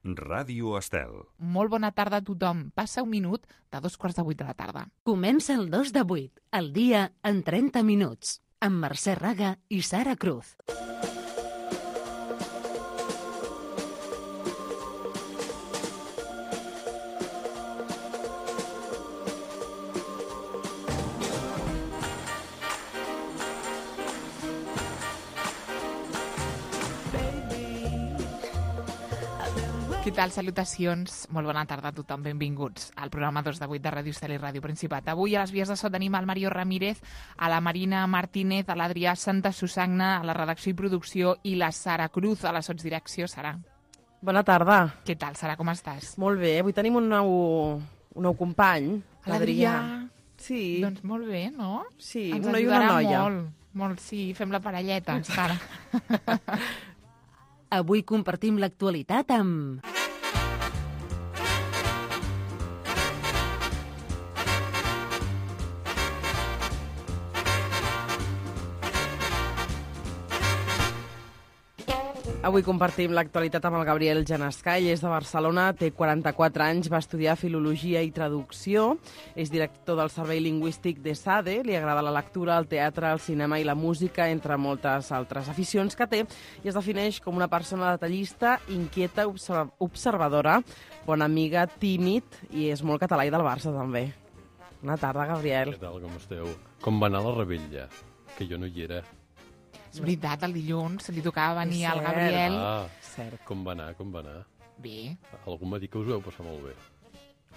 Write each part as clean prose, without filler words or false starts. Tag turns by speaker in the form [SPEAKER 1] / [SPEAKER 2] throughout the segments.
[SPEAKER 1] Ràdio Estel.
[SPEAKER 2] Molt bona tarda a tothom. Passa un minut de 7:45 de la tarda.
[SPEAKER 3] Comença el 2 de 8, el dia en 30 minuts, amb Mercè Raga i Sara Cruz.
[SPEAKER 2] Què tal? Salutacions. Molt bona tarda a tothom. Benvinguts al programa 2 de 8 de Ràdio Estel i Ràdio Principat. Avui a les vies de so tenim el Mario Ramírez, a la Marina Martínez, a l'Adrià Santa Susagna, a la redacció i producció, i la Sara Cruz a la sotsdirecció. Sara.
[SPEAKER 4] Bona tarda.
[SPEAKER 2] Què tal, Sara? Com estàs?
[SPEAKER 4] Molt bé. Avui tenim un nou company, l'Adrià. Sí.
[SPEAKER 2] Doncs molt bé, no?
[SPEAKER 4] Sí,
[SPEAKER 2] ens
[SPEAKER 4] un noi i una noia.
[SPEAKER 2] Molt, sí. Fem la parelleta, Sara.
[SPEAKER 3] Avui compartim l'actualitat amb...
[SPEAKER 4] Avui compartim l'actualitat amb el Gabriel Genescà. Ell és de Barcelona, té 44 anys, va estudiar Filologia i Traducció, és director del Servei Lingüístic d'ESADE, li agrada la lectura, el teatre, el cinema i la música, entre moltes altres aficions que té, i es defineix com una persona detallista, inquieta, observadora, bona amiga, tímid, i és molt català i del Barça, també. Bona tarda, Gabriel.
[SPEAKER 5] Què tal, com esteu? Com va anar la rebella? Que jo no hi era.
[SPEAKER 2] És veritat, el dilluns li tocava venir al
[SPEAKER 4] Cert.
[SPEAKER 2] Gabriel.
[SPEAKER 4] Cert.
[SPEAKER 5] Com va anar?
[SPEAKER 2] Bé.
[SPEAKER 5] Algú m'ha dit que us ho heu passat molt bé.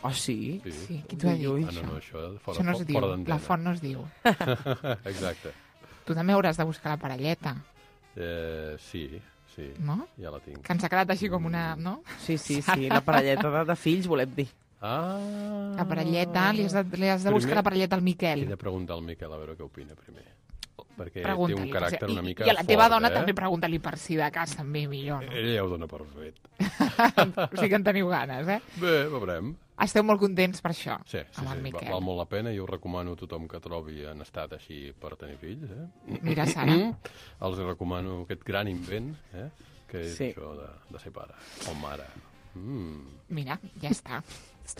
[SPEAKER 4] Oh, sí?
[SPEAKER 2] Sí, qui t'ho ha dit?
[SPEAKER 4] Ui, ui.
[SPEAKER 2] Això?
[SPEAKER 5] No, això
[SPEAKER 2] Això no es diu,
[SPEAKER 5] fora d'antena.
[SPEAKER 2] la font no es diu.
[SPEAKER 5] Exacte.
[SPEAKER 2] Tu també hauràs de buscar la parelleta,
[SPEAKER 5] Sí,
[SPEAKER 2] no?
[SPEAKER 5] ja la tinc.
[SPEAKER 2] Que ens ha quedat així com una... no?
[SPEAKER 4] Sí, la parelleta de fills, volem dir.
[SPEAKER 2] La parelleta, li has de buscar la parelleta al
[SPEAKER 5] He
[SPEAKER 2] Miquel.
[SPEAKER 5] de preguntar al Miquel a veure què opina primer. Perquè té
[SPEAKER 2] Pregunta-li.
[SPEAKER 5] un caràcter una mica
[SPEAKER 2] I a la teva
[SPEAKER 5] fort,
[SPEAKER 2] dona també pregunta-li per si de cas també millor, no?
[SPEAKER 5] Ella ja ho dona per fet.
[SPEAKER 2] O sigui que en teniu ganes, eh?
[SPEAKER 5] Bé, veurem.
[SPEAKER 2] Esteu molt contents per això,
[SPEAKER 5] Sí,
[SPEAKER 2] amb el Miquel.
[SPEAKER 5] val molt la pena i ho recomano a tothom que trobi en estat així per tenir fills.
[SPEAKER 2] Mira, Sara.
[SPEAKER 5] Els recomano aquest gran invent, que és
[SPEAKER 4] Sí.
[SPEAKER 5] això de ser pare o mare.
[SPEAKER 2] Mira, ja està.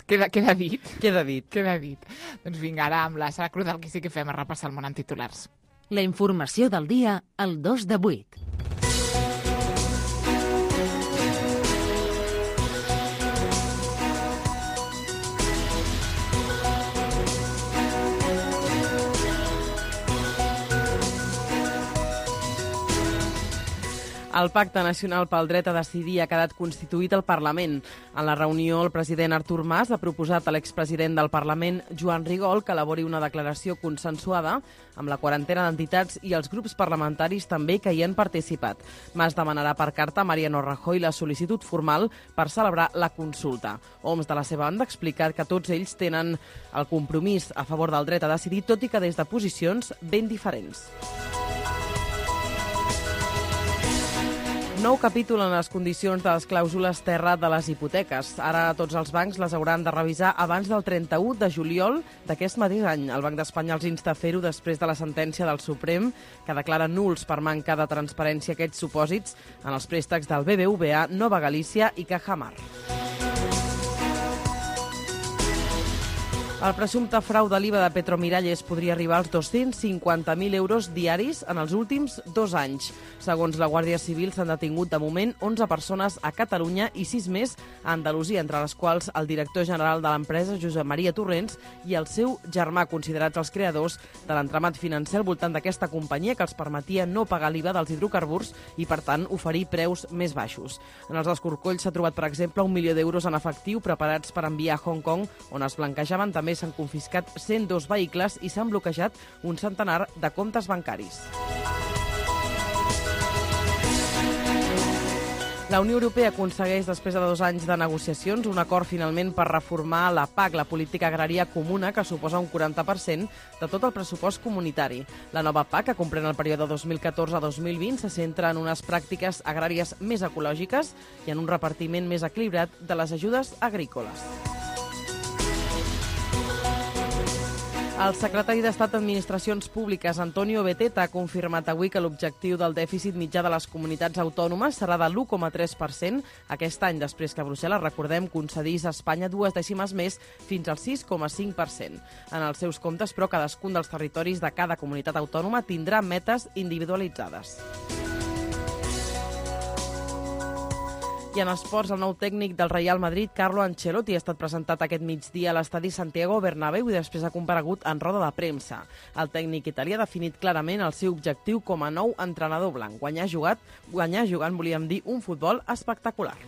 [SPEAKER 2] Queda dit.
[SPEAKER 4] Queda dit.
[SPEAKER 2] Queda dit. Doncs vinga, ara amb la Sara Cruz el que sí que fem és repassar el món en titulars.
[SPEAKER 3] La informació del dia al 2 de 8.
[SPEAKER 4] El Pacte Nacional pel Dret a Decidir ha quedat constituït al Parlament. En la reunió, el president Artur Mas ha proposat a l'expresident del Parlament, Joan Rigol, que elabori una declaració consensuada amb la quarantena d'entitats i els grups parlamentaris també que hi han participat. Mas demanarà per carta a Mariano Rajoy la sol·licitud formal per celebrar la consulta. Homs, de la seva banda, ha explicat que tots ells tenen el compromís a favor del dret a decidir, tot i que des de posicions ben diferents. Nou capítol en les condicions de les clàusules terra de les hipoteques. Ara tots els bancs les hauran de revisar abans del 31 de juliol d'aquest mateix any. El Banc d'Espanya els insta a fer-ho després de la sentència del Suprem, que declara nuls per manca de transparència aquests supòsits en els préstecs del BBVA, Nova Galícia i Cajamar. El presumpte frau de l'IVA de Petromiralles podria arribar als 250.000 euros diaris en els últims 2 anys. Segons la Guàrdia Civil, s'han detingut de moment 11 persones a Catalunya i 6 més a Andalusia, entre les quals el director general de l'empresa, Josep Maria Torrents, i el seu germà, considerats els creadors de l'entramat financer al voltant d'aquesta companyia que els permetia no pagar l'IVA dels hidrocarburs i, per tant, oferir preus més baixos. En els escorcolls s'ha trobat, per exemple, 1 milió d'euros en efectiu preparats per enviar a Hong Kong, on es blanquejaven. També s'han confiscat 102 vehicles i s'han bloquejat un centenar de comptes bancaris. La Unió Europea aconsegueix, després de 2 anys de negociacions, un acord finalment per reformar la PAC, la política agrària comuna, que suposa un 40% de tot el pressupost comunitari. La nova PAC, que comprèn el període 2014 a 2020, se centra en unes pràctiques agràries més ecològiques i en un repartiment més equilibrat de les ajudes agrícoles. El secretari d'Estat d'Administracions Públiques, Antonio Beteta, ha confirmat avui que l'objectiu del dèficit mitjà de les comunitats autònomes serà de l'1,3% aquest any, després que Brussel·les, recordem, concedís a Espanya 2 dècimes més fins al 6,5%. En els seus comptes, però, cadascun dels territoris de cada comunitat autònoma tindrà metes individualitzades. I en esports, el nou tècnic del Real Madrid, Carlo Ancelotti, ha estat presentat aquest migdia a l'estadi Santiago Bernabéu i després ha comparegut en roda de premsa. El tècnic italià ha definit clarament el seu objectiu com a nou entrenador blanc. Guanyar jugant, volíem dir, un futbol espectacular.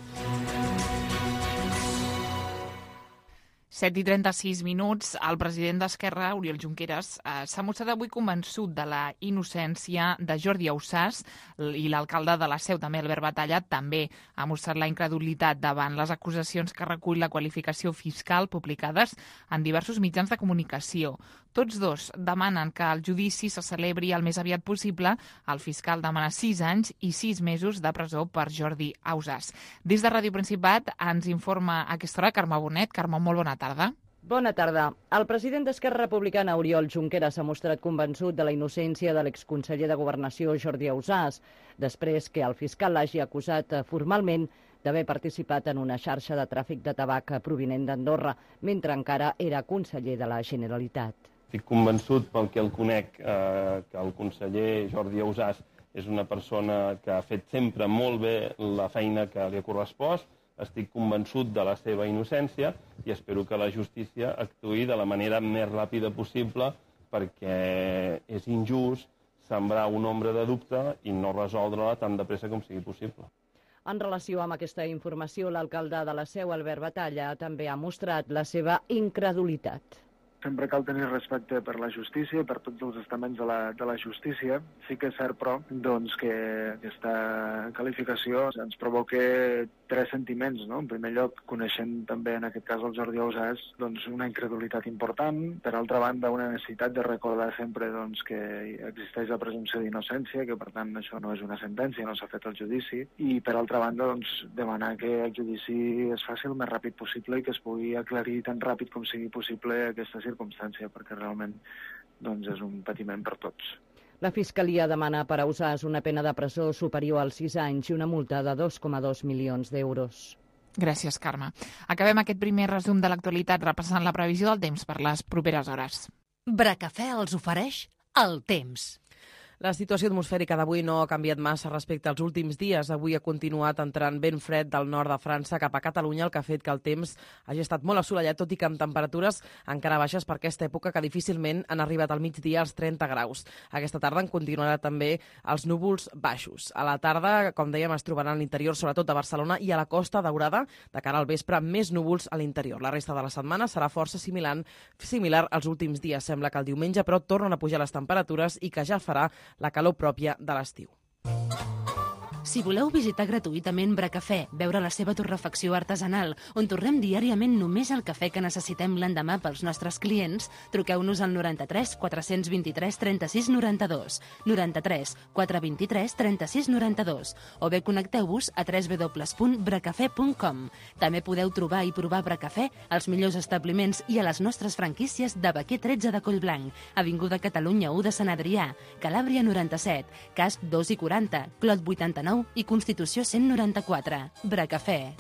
[SPEAKER 2] 7:36 minuts. El president d'Esquerra, Oriol Junqueras, s'ha mostrat avui convençut de la innocència de Jordi Ausàs i l'alcalde de la Seu, també Albert Batalla, també ha mostrat la incredulitat davant les acusacions que recull la qualificació fiscal publicades en diversos mitjans de comunicació. Tots dos demanen que el judici se celebri el més aviat possible. El fiscal demana 6 anys i 6 mesos de presó per Jordi Ausàs. Des de Ràdio Principat ens informa a aquesta hora Carme Bonet. Carme, molt bona tarda.
[SPEAKER 1] Bona tarda. El president d'Esquerra Republicana, Oriol Junqueras, s'ha mostrat convençut de la innocència de l'exconseller de Governació, Jordi Ausàs, després que el fiscal l'hagi acusat formalment d'haver participat en una xarxa de tràfic de tabac provinent d'Andorra, mentre encara era conseller de la Generalitat.
[SPEAKER 6] Estic convençut, pel que el conec, que el conseller Jordi Ausàs és una persona que ha fet sempre molt bé la feina que li ha correspost. Estic convençut de la seva innocència i espero que la justícia actuï de la manera més ràpida possible, perquè és injust sembrar una ombra de dubte i no resoldre-la tan de pressa com sigui possible.
[SPEAKER 1] En relació amb aquesta informació, l'alcalde de la Seu, Albert Batalla, també ha mostrat la seva incredulitat.
[SPEAKER 7] Sempre cal tenir respecte per la justícia i per tots els estaments de la justícia. Sí que és cert, però, que aquesta qualificació ens provoca 3 sentiments, no? En primer lloc, coneixent també en aquest cas el Jordi Ausàs, una incredulitat important. Per altra banda, una necessitat de recordar sempre que existeix la presumpció d'innocència, que per tant això no és una sentència, no s'ha fet el judici. I per altra banda, demanar que el judici es faci el més ràpid possible i que es pugui aclarir tan ràpid com sigui possible aquesta circumstància, perquè realment és un patiment per tots.
[SPEAKER 1] La Fiscalia demana per a Ausàs una pena de presó superior als 6 anys i una multa de 2,2 milions d'euros.
[SPEAKER 2] Gràcies, Carme. Acabem aquest primer resum de l'actualitat repassant la previsió del temps per les properes hores.
[SPEAKER 3] Bracafè els ofereix el temps.
[SPEAKER 4] La situació atmosfèrica d'avui no ha canviat massa respecte als últims dies. Avui ha continuat entrant vent fred del nord de França cap a Catalunya, el que ha fet que el temps hagi estat molt assolellat, tot i que amb temperatures encara baixes per aquesta època, que difícilment han arribat al migdia als 30 graus. Aquesta tarda en continuarà també els núvols baixos. A la tarda, com dèiem, es trobaran a l'interior, sobretot a Barcelona i a la Costa Daurada, de cara al vespre, més núvols a l'interior. La resta de la setmana serà força similar als últims dies. Sembla que el diumenge, però, tornen a pujar les temperatures i que ja farà la calor pròpia de l'estiu.
[SPEAKER 3] Si voleu visitar gratuïtament Bracafè, veure la seva torrefacció artesanal, on torrem diàriament només el cafè que necessitem l'endemà pels nostres clients, truqueu-nos al 93 423 36 92, 93 423 36 92, o bé connecteu-vos a www.bracafè.com. També podeu trobar i provar Bracafè als millors establiments i a les nostres franquícies de Baquer 13 de Collblanc, Avinguda Catalunya 1 de Sant Adrià, Calàbria 97, Casp 2 i 40, Clot 89 i Constitució 194. Bracafè.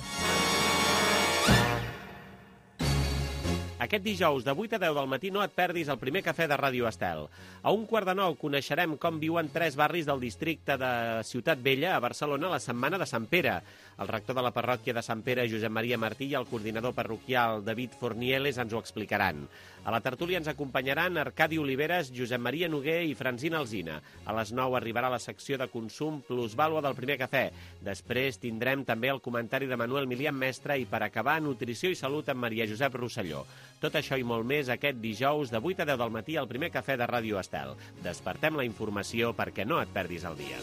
[SPEAKER 8] Aquest dijous, de 8 a 10 del matí, no et perdis el primer cafè de Ràdio Estel. A 1:15 coneixerem com viuen 3 barris del districte de Ciutat Vella, a Barcelona, la Setmana de Sant Pere. El rector de la parròquia de Sant Pere, Josep Maria Martí, i el coordinador parroquial, David Fornieles, ens ho explicaran. A la tertúlia ens acompanyaran Arcadi Oliveres, Josep Maria Noguer i Francina Alsina. A les 9 arribarà la secció de consum plusvàlua del primer cafè. Després tindrem també el comentari de Manuel Milian Mestre i, per acabar, nutrició i salut amb Maria Josep Rosselló. Tot això i molt més aquest dijous de 8 a 10 del matí al primer cafè de Ràdio Estel. Despertem la informació perquè no et perdis el dia.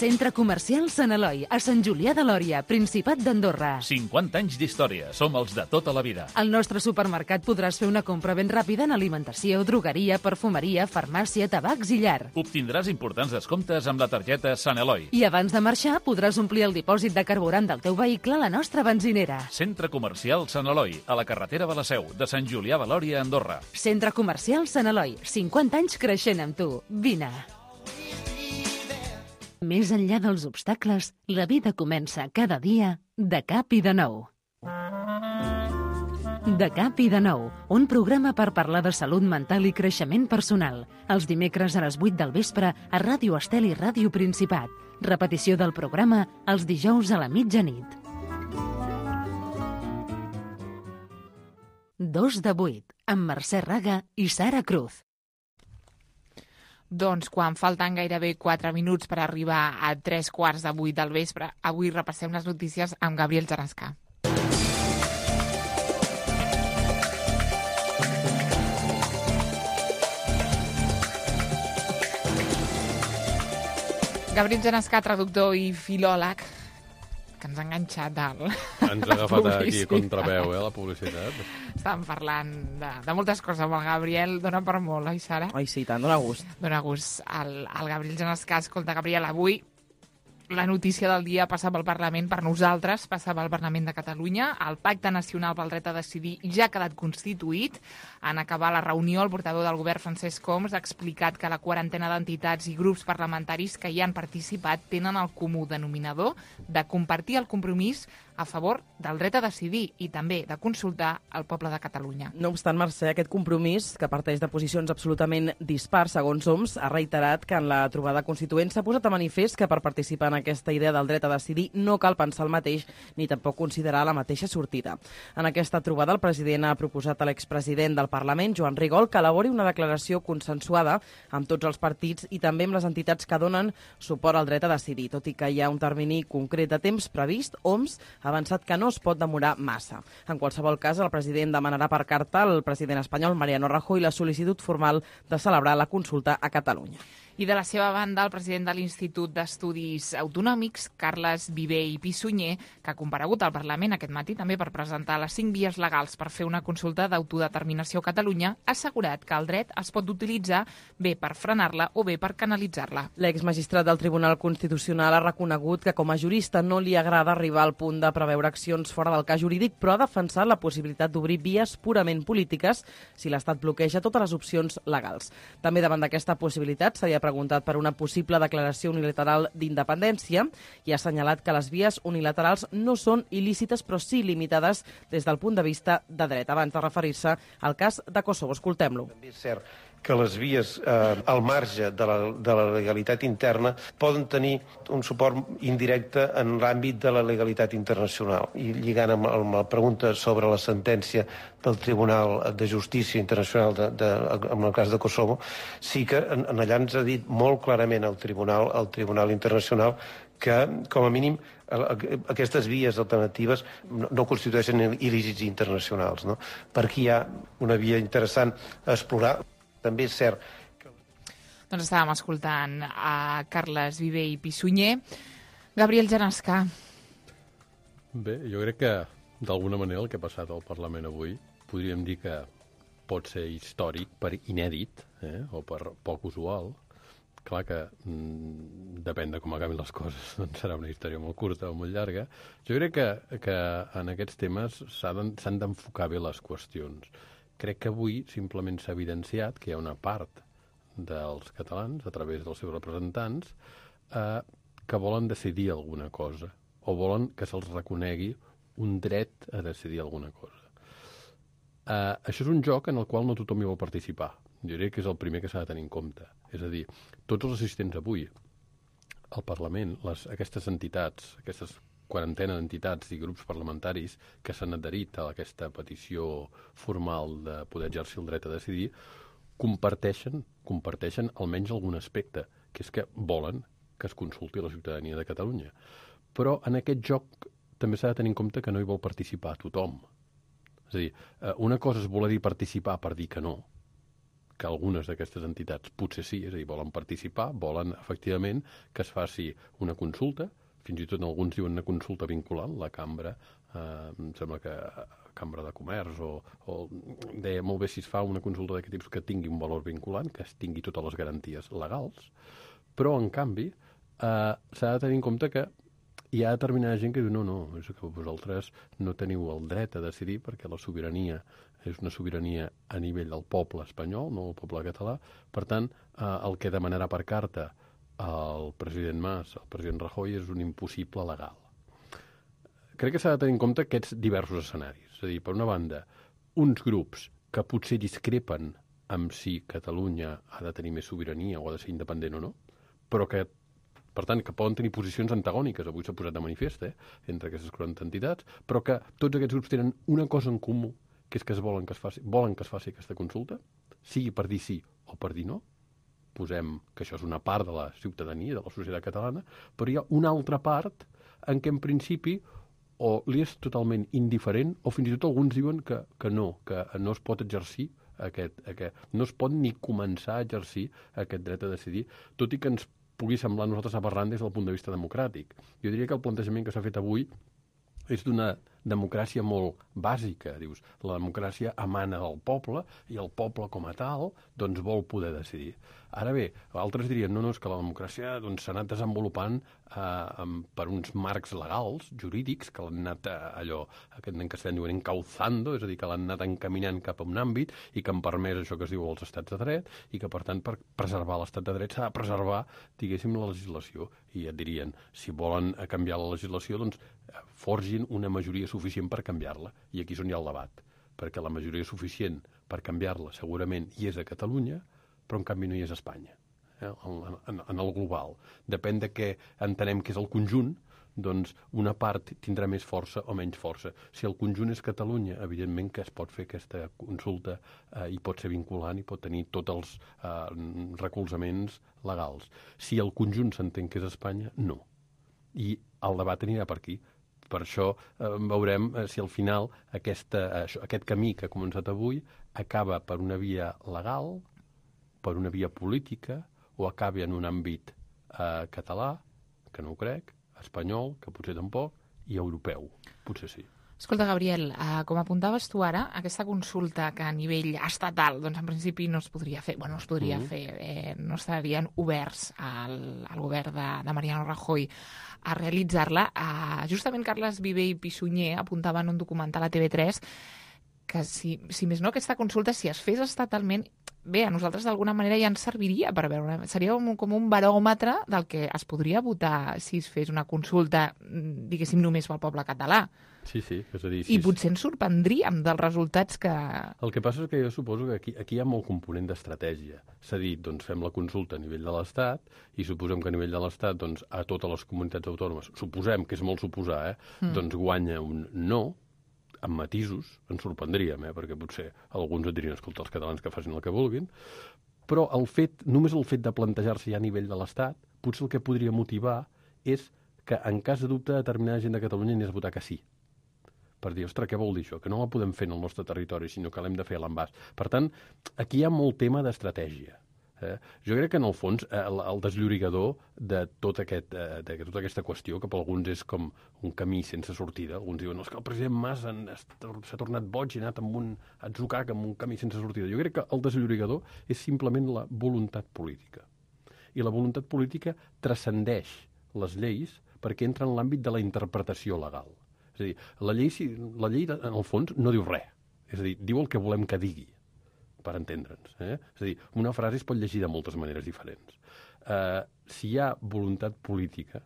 [SPEAKER 3] Centre Comercial Sant Eloi, a Sant Julià de Lòria, Principat d'Andorra.
[SPEAKER 9] 50 anys d'història. Som els de tota la vida.
[SPEAKER 3] Al nostre supermercat podràs fer una compra ben ràpida en alimentació, drogueria, perfumeria, farmàcia, tabacs i llar.
[SPEAKER 9] Obtindràs importants descomptes amb la targeta Sant Eloi.
[SPEAKER 3] I abans de marxar podràs omplir el dipòsit de carburant del teu vehicle a la nostra benzinera.
[SPEAKER 9] Centre Comercial Sant Eloi, a la carretera de la Seu, de Sant Julià de Lòria, Andorra.
[SPEAKER 3] Centre Comercial Sant Eloi, 50 anys creixent amb tu. Vine. Més enllà dels obstacles, la vida comença cada dia de cap i de nou. De cap i de nou, un programa per parlar de salut mental i creixement personal. Els dimecres a les 8 del vespre a Ràdio Estel i Ràdio Principat. Repetició del programa els dijous a la mitjanit. 2 de 8, amb Mercè Raga i Sara Cruz.
[SPEAKER 2] Doncs quan falten gairebé 4 minuts per arribar a 3:15 del vespre, avui repassem les notícies amb Gabriel Genescà. Gabriel Genescà, traductor i filòleg, que ens ha enganxat
[SPEAKER 5] Ens ha agafat aquí contraveu, la publicitat.
[SPEAKER 2] Estàvem parlant de moltes coses amb el Gabriel. Dona per molt, oi, Sara?
[SPEAKER 4] Ai, sí, tant, dona gust.
[SPEAKER 2] Dona gust. El Gabriel Genescà, escolta, Gabriel, avui la notícia del dia passa pel Parlament, per nosaltres, passa pel Parlament de Catalunya. El Pacte Nacional pel Dret a Decidir ja ha quedat constituït. En acabar la reunió, el portaveu del govern, Francesc Homs, ha explicat que la quarantena d'entitats i grups parlamentaris que hi han participat tenen el comú denominador de compartir el compromís a favor del dret a decidir i també de consultar el poble de Catalunya.
[SPEAKER 4] No obstant, Mercè, aquest compromís, que parteix de posicions absolutament dispars, segons Homs, ha reiterat que en la trobada constituent s'ha posat a manifest que per participar en aquesta idea del dret a decidir no cal pensar el mateix ni tampoc considerar la mateixa sortida. En aquesta trobada, el president ha proposat a l'expresident del Parlament, Joan Rigol, que elabori una declaració consensuada amb tots els partits i també amb les entitats que donen suport al dret a decidir. Tot i que hi ha un termini concret de temps previst, Homs ha avançat que no es pot demorar massa. En qualsevol cas, el president demanarà per carta al president espanyol, Mariano Rajoy, la sol·licitud formal de celebrar la consulta a Catalunya.
[SPEAKER 2] I de la seva banda, el president de l'Institut d'Estudis Autonòmics, Carles Viver i Pissunyer, que ha comparegut al Parlament aquest matí també per presentar les 5 vies legals per fer una consulta d'autodeterminació a Catalunya, ha assegurat que el dret es pot utilitzar bé per frenar-la o bé per canalitzar-la.
[SPEAKER 4] L'exmagistrat del Tribunal Constitucional ha reconegut que com a jurista no li agrada arribar al punt de preveure accions fora del cas jurídic, però ha defensat la possibilitat d'obrir vies purament polítiques si l'Estat bloqueja totes les opcions legals. També davant d'aquesta possibilitat s'ha preguntat per una possible declaració unilateral d'independència i ha assenyalat que les vies unilaterals no són il·lícites però sí limitades des del punt de vista de dret. Abans de referir-se al cas de Kosovo, escoltem-lo.
[SPEAKER 10] També és cert que les vies al marge de la legalitat interna poden tenir un suport indirecte en l'àmbit de la legalitat internacional. I lligant amb la pregunta sobre la sentència del Tribunal de Justícia Internacional en el cas de Kosovo, sí que allà ens ha dit molt clarament el Tribunal Internacional que, com a mínim, aquestes vies alternatives no constitueixen il·lícits internacionals. No? Per aquí hi ha una via interessant a explorar. També és cert que...
[SPEAKER 2] Doncs estàvem escoltant a Carles Viver i Pissunyer. Gabriel Genescà.
[SPEAKER 5] Bé, jo crec que d'alguna manera el que ha passat al Parlament avui podríem dir que pot ser històric per inèdit o per poc usual. Clar que depèn de com acabin les coses, doncs serà una història molt curta o molt llarga. Jo crec que en aquests temes s'han d'enfocar bé les qüestions. Crec que avui simplement s'ha evidenciat que hi ha una part dels catalans, a través dels seus representants, que volen decidir alguna cosa o volen que se'ls reconegui un dret a decidir alguna cosa. Això és un joc en el qual no tothom hi vol participar. Jo diria que és el primer que s'ha de tenir en compte. És a dir, tots els assistents avui al Parlament, aquestes entitats, aquestes quarantena d'entitats i grups parlamentaris que s'han adherit a aquesta petició formal de poder exercir el dret a decidir, comparteixen almenys algun aspecte, que és que volen que es consulti la ciutadania de Catalunya. Però en aquest joc també s'ha de tenir en compte que no hi vol participar tothom. És a dir, una cosa és voler dir participar per dir que no que algunes d'aquestes entitats potser sí, és a dir, volen participar, volen efectivament que es faci una consulta, fins i tot alguns diuen una consulta vinculant, la cambra, em sembla que Cambra de Comerç, o deia molt bé si es fa una consulta d'aquest tipus que tingui un valor vinculant, que es tingui totes les garanties legals, però en canvi s'ha de tenir en compte que hi ha determinada gent que diu no, és que vosaltres no teniu el dret a decidir perquè la sobirania és una sobirania a nivell del poble espanyol, no el poble català. Per tant, el que demanarà per carta el president Mas, el president Rajoy, és un impossible legal. Crec que s'ha de tenir en compte aquests diversos escenaris. És a dir, per una banda, uns grups que potser discrepen amb si Catalunya ha de tenir més sobirania o ha de ser independent o no, però que, per tant, que poden tenir posicions antagòniques, avui s'ha posat de manifest, entre aquestes 40 entitats, però que tots aquests grups tenen una cosa en comú, que és que volen que es faci aquesta consulta, sigui per dir sí o per dir no. Posem que això és una part de la ciutadania, de la societat catalana, però hi ha una altra part en què en principi o li és totalment indiferent o fins i tot alguns diuen que no es pot exercir no es pot ni començar a exercir aquest dret a decidir, tot i que ens pugui semblar a nosaltres aberrant des del punt de vista democràtic. Jo diria que el plantejament que s'ha fet avui és d'una democràcia molt bàsica. Dius, la democràcia emana del poble i el poble com a tal doncs vol poder decidir. Ara bé, altres dirien, no, és que la democràcia s'ha anat desenvolupant per uns marcs legals, jurídics, que l'han anat aquest en castellà diuen encauzando, és a dir, que l'han anat encaminant cap a un àmbit i que han permès això que es diu els estats de dret i que, per tant, per preservar l'estat de dret s'ha de preservar, diguéssim, la legislació. I et dirien, si volen canviar la legislació, doncs forgin una majoria suficient per canviar-la. I aquí és on hi ha el debat, perquè la majoria suficient per canviar-la segurament hi és a Catalunya, però en canvi no hi és a Espanya, en el global. Depèn de què entenem que és el conjunt, doncs una part tindrà més força o menys força. Si el conjunt és Catalunya, evidentment que es pot fer aquesta consulta i pot ser vinculant i pot tenir tots els recolzaments legals. Si el conjunt s'entén que és Espanya, no. I el debat anirà per aquí. Per això veurem si al final aquest camí que ha començat avui acaba per una via legal, per una via política, o acaba en un àmbit català, que no ho crec, espanyol, que potser tampoc, i europeu, potser sí.
[SPEAKER 2] Escolta, Gabriel, com apuntaves tu ara, aquesta consulta que a nivell estatal, doncs en principi no es podria fer, no estarien oberts al govern de Mariano Rajoy a realitzar-la. Justament Carles Viver i Pissunyer apuntaven un documental a TV3 que si més no aquesta consulta, si es fes estatalment, bé, a nosaltres d'alguna manera ja ens serviria per veure, seria com un baròmetre del que es podria votar si es fes una consulta, diguéssim, només pel poble català.
[SPEAKER 5] Sí, és a dir...
[SPEAKER 2] I potser ens sorprendríem dels resultats que...
[SPEAKER 5] El que passa és que jo suposo que aquí hi ha molt component d'estratègia. S'ha dit, doncs fem la consulta a nivell de l'Estat i suposem que a nivell de l'Estat, doncs a totes les comunitats autònomes, suposem, que és molt suposar, doncs guanya un no, amb matisos, ens sorprendríem, perquè potser alguns et dirien, escolta, els catalans que facin el que vulguin, però només el fet de plantejar-se ja a nivell de l'Estat, potser el que podria motivar és que en cas de dubte determinada gent de Catalunya anés a votar que sí. Per dir, ostres, què vol dir això? Que no la podem fer en el nostre territori, sinó que l'hem de fer a l'envàs. Per tant, aquí hi ha molt tema d'estratègia. Jo crec que, en el fons, el desllorigador de tota aquesta qüestió, que per alguns és com un camí sense sortida, alguns diuen, que el president Mas s'ha tornat boig i ha anat amb un atzucac, amb un camí sense sortida. Jo crec que el desllorigador és simplement la voluntat política. I la voluntat política transcendeix les lleis perquè entra en l'àmbit de la interpretació legal. És a dir, la llei, en el fons, no diu res. És a dir, diu el que volem que digui, per entendre'ns. És a dir, una frase es pot llegir de moltes maneres diferents. Si hi ha voluntat política,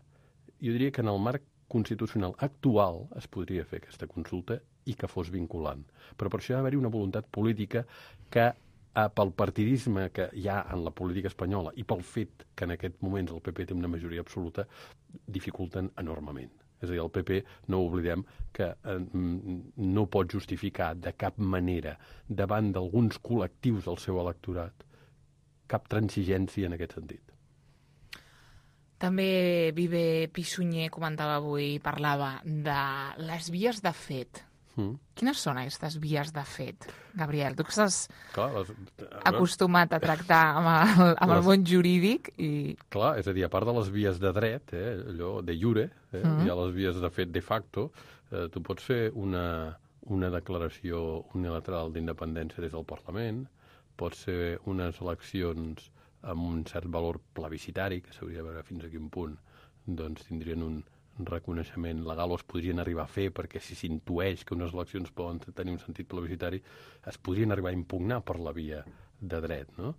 [SPEAKER 5] jo diria que en el marc constitucional actual es podria fer aquesta consulta i que fos vinculant. Però per això ha d'haver-hi una voluntat política que, pel partidisme que hi ha en la política espanyola i pel fet que en aquest moment el PP té una majoria absoluta, dificulten enormement. És a dir, el PP, no oblidem, que no pot justificar de cap manera davant d'alguns col·lectius del seu electorat cap transigència en aquest sentit.
[SPEAKER 2] També Viver Pissunyer comentava avui, parlava de les vies de fet Quines són aquestes vies de fet, Gabriel? Tu que estàs acostumat a tractar amb el món jurídic i...
[SPEAKER 5] Clar, és a dir, a part de les vies de dret, allò de jure, hi ha les vies de fet de facto, tu pots fer una declaració unilateral d'independència des del Parlament, pots fer unes eleccions amb un cert valor plebiscitari, que s'hauria de veure fins a quin punt doncs tindrien un reconeixement legal o es podrien arribar a fer, perquè si s'intueix que unes eleccions poden tenir un sentit plebiscitari, es podrien arribar a impugnar per la via de dret, no?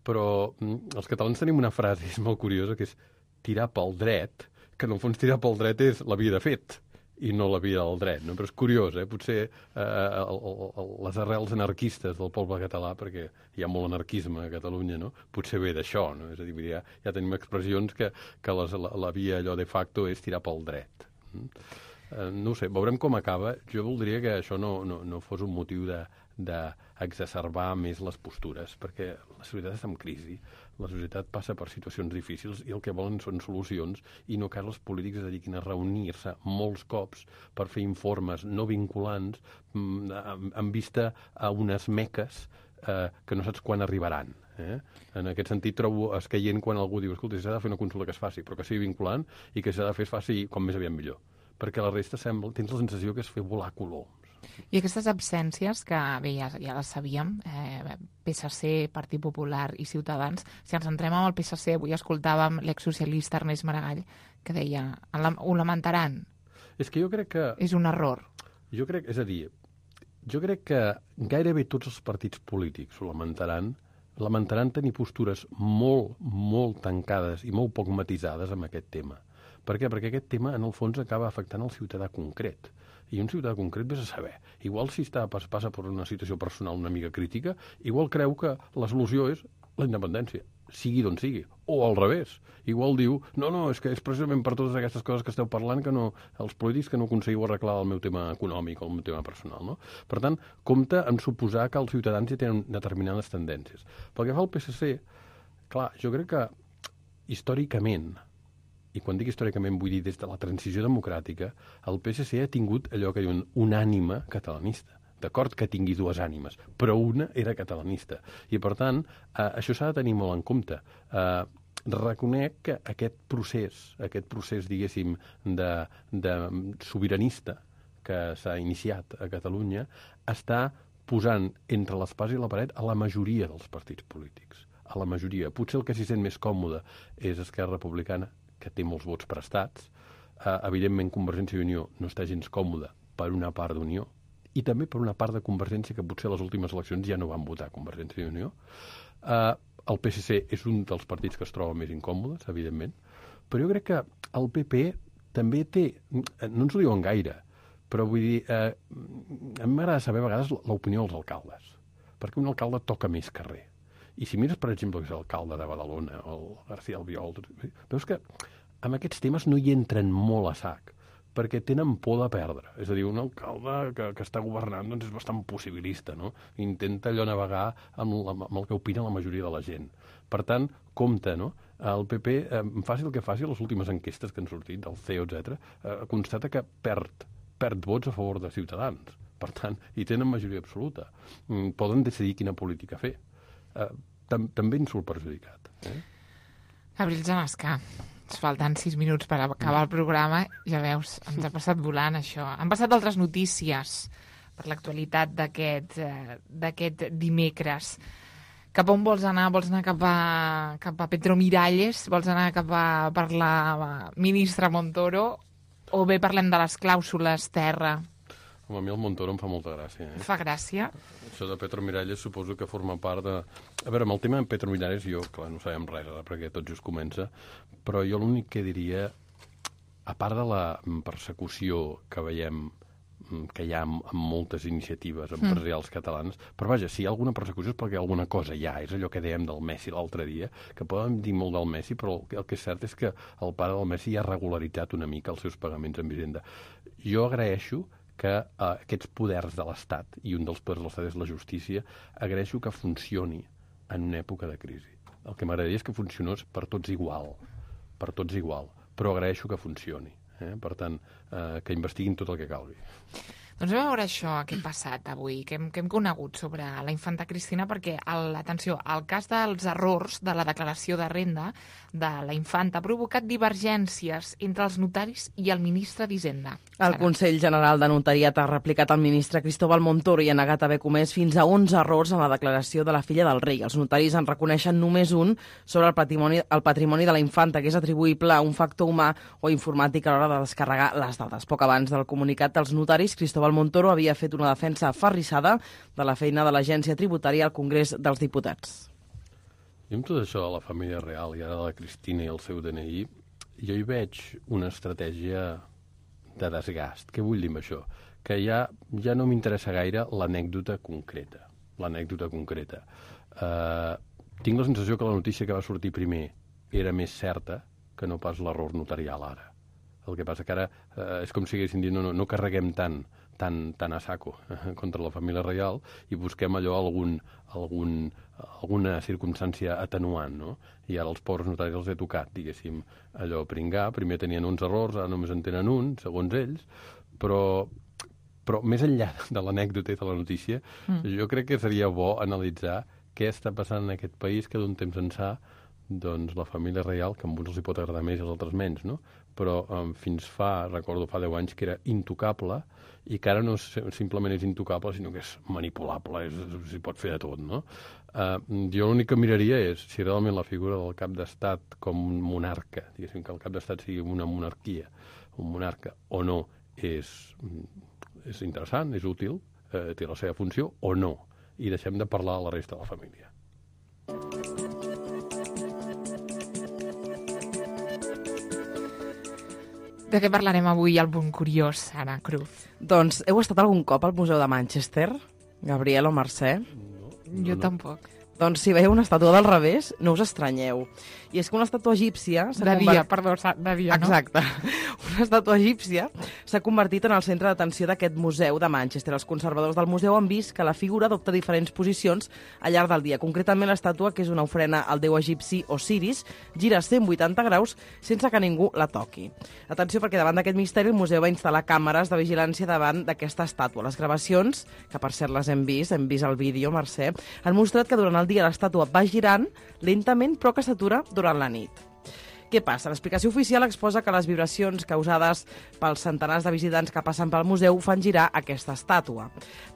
[SPEAKER 5] Però els catalans tenim una frase, és molt curiosa, que és tirar pel dret, que en el fons tirar pel dret és la via de fet, i no la via del dret, no? Però és curiós, potser les arrels anarquistes del poble català, perquè hi ha molt anarquisme a Catalunya, no? Potser ve d'això, no? És a dir, ja tenim expressions que la via allò de facto és tirar pel dret. No ho sé, veurem com acaba. Jo voldria que això no fos un motiu d'exacerbar més les postures, perquè la societat està en crisi, la societat passa per situacions difícils i el que volen són solucions i no cal els polítics es dediquin a reunir-se molts cops per fer informes no vinculants en vista a unes meques que no saps quan arribaran. En aquest sentit trobo escaient quan algú diu escolta, s'ha de fer una consulta que es faci, però que sigui vinculant i que s'ha de fer es faci com més aviat millor, perquè la resta tens la sensació que és fer volar coloms.
[SPEAKER 2] I aquestes absències, que bé, ja les sabíem, PSC, Partit Popular i Ciutadans, si ens entrem amb el PSC, avui escoltàvem l'exsocialista Ernest Maragall, que deia, ho lamentaran.
[SPEAKER 5] És que jo crec que...
[SPEAKER 2] És un error.
[SPEAKER 5] Jo crec que gairebé tots els partits polítics ho lamentaran tenir postures molt, molt tancades i molt poc matisades amb aquest tema. Per què? Perquè aquest tema, en el fons, acaba afectant el ciutadà concret. I un ciutadà concret vés a saber. Igual si passa per una situació personal una mica crítica, igual creu que la solució és la independència, sigui d'on sigui. O al revés. Igual diu, no, és que és precisament per totes aquestes coses que esteu parlant que no, els polítics que no aconseguiu arreglar el meu tema econòmic o el meu tema personal. No? Per tant, compte en suposar que els ciutadans ja tenen determinades tendències. Pel que fa al PSC, clar, jo crec que històricament, i quan dic històricament vull dir des de la transició democràtica, el PSC ha tingut allò que diuen una ànima catalanista. D'acord que tingui dues ànimes, però una era catalanista. I, per tant, això s'ha de tenir molt en compte. Reconec que aquest procés, diguéssim, de sobiranista que s'ha iniciat a Catalunya està posant entre l'espasa i la paret a la majoria dels partits polítics. A la majoria. Potser el que s'hi sent més còmode és Esquerra Republicana, que té molts vots prestats. Evidentment, Convergència i Unió no està gens còmoda per una part d'Unió i també per una part de Convergència que potser a les últimes eleccions ja no van votar Convergència i Unió. El PSC és un dels partits que es troba més incòmodes, evidentment, però jo crec que el PP també té... No ens ho diuen gaire, però vull dir... A mi m'agrada saber a vegades l'opinió dels alcaldes, perquè un alcalde toca més carrer. I si mires, per exemple, que és l'alcalde de Badalona o el García Albiol, veus que amb aquests temes no hi entren molt a sac, perquè tenen por de perdre. És a dir, un alcalde que està governant doncs és bastant possibilista, no? Intenta allò navegar amb el que opina la majoria de la gent. Per tant, compte, no? El PP, faci el que faci, les últimes enquestes que han sortit, del CEO, etc., constata que perd vots a favor de Ciutadans. Per tant, hi tenen majoria absoluta. Poden decidir quina política fer. També en surt perjudicat.
[SPEAKER 2] Gabriel Jamasca, ens falten 6 minuts per acabar el programa. Ja veus, ens ha passat volant això. Han passat altres notícies per l'actualitat d'aquest dimecres. Cap on vols anar? Vols anar cap a Petromiralles? Vols anar per la ministra Montoro? O bé parlem de les clàusules terra?
[SPEAKER 5] A mi el Montoro em fa molta gràcia.
[SPEAKER 2] Fa gràcia?
[SPEAKER 5] Això de Petromiralles suposo que forma part de... A veure, amb el tema de Petromiralles jo, clar, no sabem res, perquè tot just comença, però jo l'únic que diria, a part de la persecució que veiem que hi ha amb moltes iniciatives empresarials catalans, però vaja, si hi ha alguna persecució és perquè alguna cosa hi ha, és allò que dèiem del Messi l'altre dia, que poden dir molt del Messi, però el que és cert és que el pare del Messi ja ha regularitzat una mica els seus pagaments en Hisenda. Jo agraeixo que aquests poders de l'Estat, i un dels poders de l'Estat és la justícia, agraeixo que funcioni en una època de crisi. El que m'agradaria és que funcionés per tots igual, però agraeixo que funcioni. Per tant, que investiguin tot el que calgui.
[SPEAKER 2] Doncs a veure això que hem passat avui, que hem conegut sobre la infanta Cristina, perquè, atenció, el cas dels errors de la declaració de renda de la infanta ha provocat divergències entre els notaris i el ministre d'Hisenda.
[SPEAKER 4] El Consell General de Notariat ha replicat al ministre Cristóbal Montoro i ha negat haver comès fins a 11 errors en la declaració de la filla del rei. Els notaris en reconeixen només un sobre el patrimoni de la infanta, que és atribuïble a un factor humà o informàtic a l'hora de descarregar les dades. Poc abans del comunicat dels notaris, Cristóbal Montoro havia fet una defensa aferrissada de la feina de l'Agència Tributària al Congrés dels Diputats.
[SPEAKER 5] I amb tot això de la família real i ara de la Cristina i el seu DNI, jo hi veig una estratègia de desgast. Què vull dir amb això? Que ja no m'interessa gaire l'anècdota concreta. Tinc la sensació que la notícia que va sortir primer era més certa que no pas l'error notarial ara. El que passa que ara és com si haguessin dit no carreguem tant a saco contra la família reial i busquem allò alguna circumstància atenuant, no? I ara els pobres notaris els he tocat, diguéssim, allò pringar. Primer tenien uns errors, ara només en tenen un, segons ells, però més enllà de l'anècdota i de la notícia, jo crec que seria bo analitzar què està passant en aquest país que d'un temps ençà doncs la família reial, que a uns els hi pot agradar més i als altres menys, no? Però recordo fa 10 anys que era intocable i que ara no simplement és intocable, sinó que és manipulable, s'hi pot fer de tot, no? Jo l'únic que miraria és si realment la figura del cap d'estat com un monarca, diguéssim que el cap d'estat sigui una monarquia, un monarca o no, és interessant, és útil, té la seva funció o no, i deixem de parlar a la resta de la família.
[SPEAKER 2] De què parlarem avui al Punt Curiós, Anna Cruz?
[SPEAKER 4] Doncs heu estat algun cop al Museu de Manchester, Gabriel o Mercè?
[SPEAKER 2] Jo tampoc.
[SPEAKER 4] Doncs si veieu una estàtua del revés, no us estranyeu. I és que una estàtua egípcia...
[SPEAKER 2] De dia, no?
[SPEAKER 4] Exacte. Una estàtua egípcia s'ha convertit en el centre d'atenció d'aquest museu de Manchester. Els conservadors del museu han vist que la figura adopta diferents posicions al llarg del dia. Concretament, l'estàtua, que és una ofrena al déu egipci Osiris, gira 180 graus sense que ningú la toqui. Atenció, perquè davant d'aquest misteri el museu va instal·lar càmeres de vigilància davant d'aquesta estàtua. Les gravacions, que per cert les hem vist el vídeo, Mercè, han mostrat que durant el dia l'estàtua va girant lentament però que s'atura durant la nit. Què passa? L'explicació oficial exposa que les vibracions causades pels centenars de visitants que passen pel museu fan girar aquesta estàtua.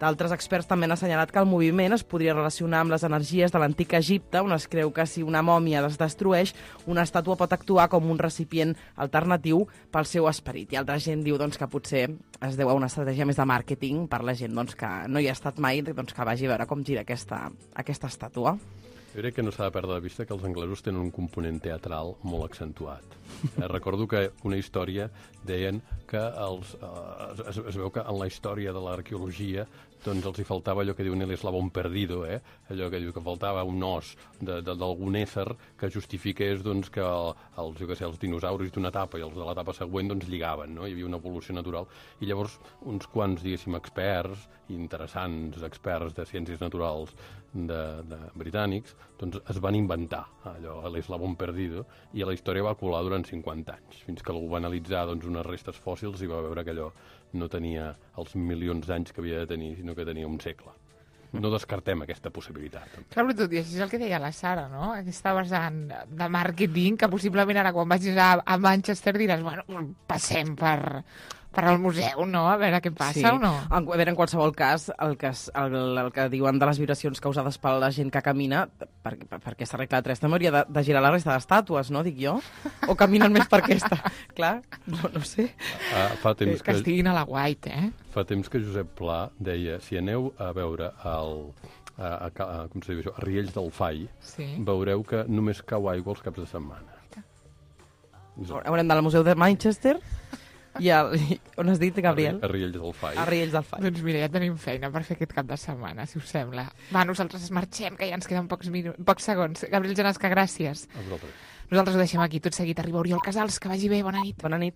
[SPEAKER 4] D'altres experts també han assenyalat que el moviment es podria relacionar amb les energies de l'antic Egipte, on es creu que si una mòmia es destrueix, una estàtua pot actuar com un recipient alternatiu pel seu esperit. I altra gent diu que potser es deu a una estratègia més de màrqueting per la gent que no hi ha estat mai, que vagi a veure com gira aquesta estàtua.
[SPEAKER 5] Jo crec que no s'ha de perdre de vista que els anglesos tenen un component teatral molt accentuat. Recordo que una història deien que es veu que en la història de l'arqueologia doncs els hi faltava allò que diuen l'eslabón perdido, allò que diu que faltava un os d'algun ésser que justifiqués que els dinosaures d'una etapa i els de l'etapa següent lligaven, no? Hi havia una evolució natural. I llavors uns quants, diguéssim, experts, interessants experts de ciències naturals britànics, es van inventar allò, l'eslabón perdido, i la història va colar durant 50 anys, fins que algú va analitzar unes restes fòssils i va veure que allò no tenia els milions d'anys que havia de tenir, sinó que tenia un segle. No descartem aquesta possibilitat.
[SPEAKER 2] Clar, però tot i així és el que deia la Sara, no? Aquesta vessant de màrqueting, que possiblement ara quan vagis a Manchester diràs, bueno, passem per al museu, no? A veure què passa o no?
[SPEAKER 4] A veure, en qualsevol cas, el que diuen de les vibracions causades per la gent que camina, per aquesta regla de 3 també hauria de girar la resta d'estàtues, no? Dic jo? O caminen més per aquesta? Clar, no sé.
[SPEAKER 5] Fa temps
[SPEAKER 2] que estiguin a la White,
[SPEAKER 5] Fa temps que Josep Pla deia, si aneu a veure a Riells del Fai, veureu que només cau aigua els caps de setmana.
[SPEAKER 4] Haurem d'anar al Museu de Manchester i on has dit, Gabriel?
[SPEAKER 5] A Riells del Fai.
[SPEAKER 4] A Riells del Fai.
[SPEAKER 2] Doncs mira, ja tenim feina per fer aquest cap de setmana, si us sembla. Va, nosaltres marxem, que ja ens queden pocs segons. Gabriel Genesca, gràcies.
[SPEAKER 5] A vosaltres.
[SPEAKER 2] Nosaltres ho deixem aquí. Tot seguit arriba Oriol Casals. Que vagi bé. Bona nit.
[SPEAKER 4] Bona nit.